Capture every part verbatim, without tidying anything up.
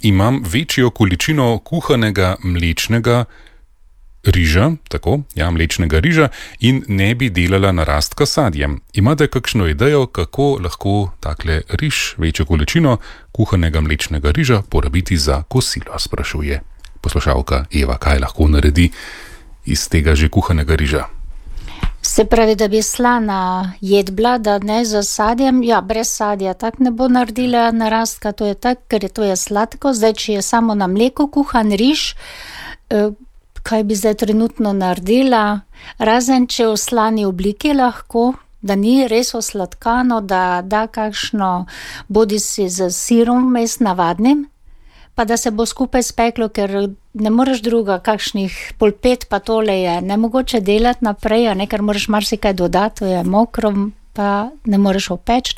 imam večjo količino kuhanega mlečnega riža, tako, ja, mlečnega riža in ne bi delala narastka sadjem. Imate kakšno idejo, kako lahko takle riž, večjo količino kuhanega mlečnega riža porabiti za kosilo, sprašuje poslušalka Eva, kaj lahko naredi iz tega že kuhanega riža? Se pravi, da bi slana jed bila, da ne za sadjem, ja, brez sadja tak ne bo naredila narastka, to je tak, ker je to je sladko. Zdaj, če je samo na mleku kuhan riž, kaj bi zdaj trenutno naredila, razen če v slani obliki lahko, da ni res osladkano, da da kakšno bodisi z sirom vmes navadnim, pa da se bo skupaj speklo, ker ne moreš druga, kakšnih polpet pa tole je nemogoče delati naprej, a ne, ker moraš marsikaj dodati, to je mokro, pa ne moreš opeči.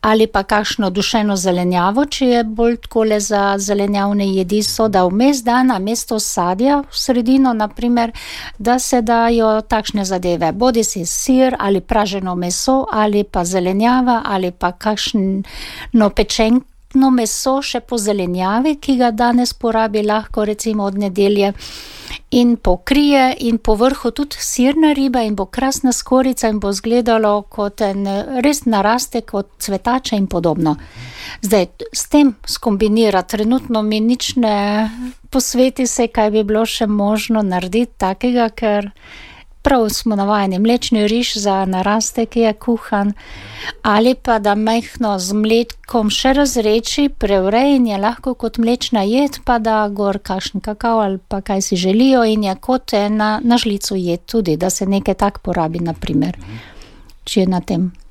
Ali pa kakšno dušeno zelenjavo, če je bolj takole za zelenjavne jedi, so da vmes da na mesto sadja v sredino, naprimer, da se dajo takšne zadeve, bodisi sir ali praženo meso, ali pa zelenjava, ali pa kakšno pečenko, no meso še po zelenjavi, ki ga danes porabi lahko recimo od nedelje in pokrije in po vrhu tudi sirna riba in bo krasna skorica in bo izgledalo kot en res narastek od cvetača in podobno. Zdaj, s tem skombinira, trenutno mi nič ne posveti se, kaj bi bilo še možno narediti takega, ker prav smo navajeni mlečni riž za narastek je kuhan, ali pa da majhno z mlekom še razreči, prevrej in je lahko kot mlečna jed, pa da gor kakšen kakao ali pa kaj si želijo in je kot ena na žlico jed tudi, da se nekaj tak porabi, naprimer, če je na tem.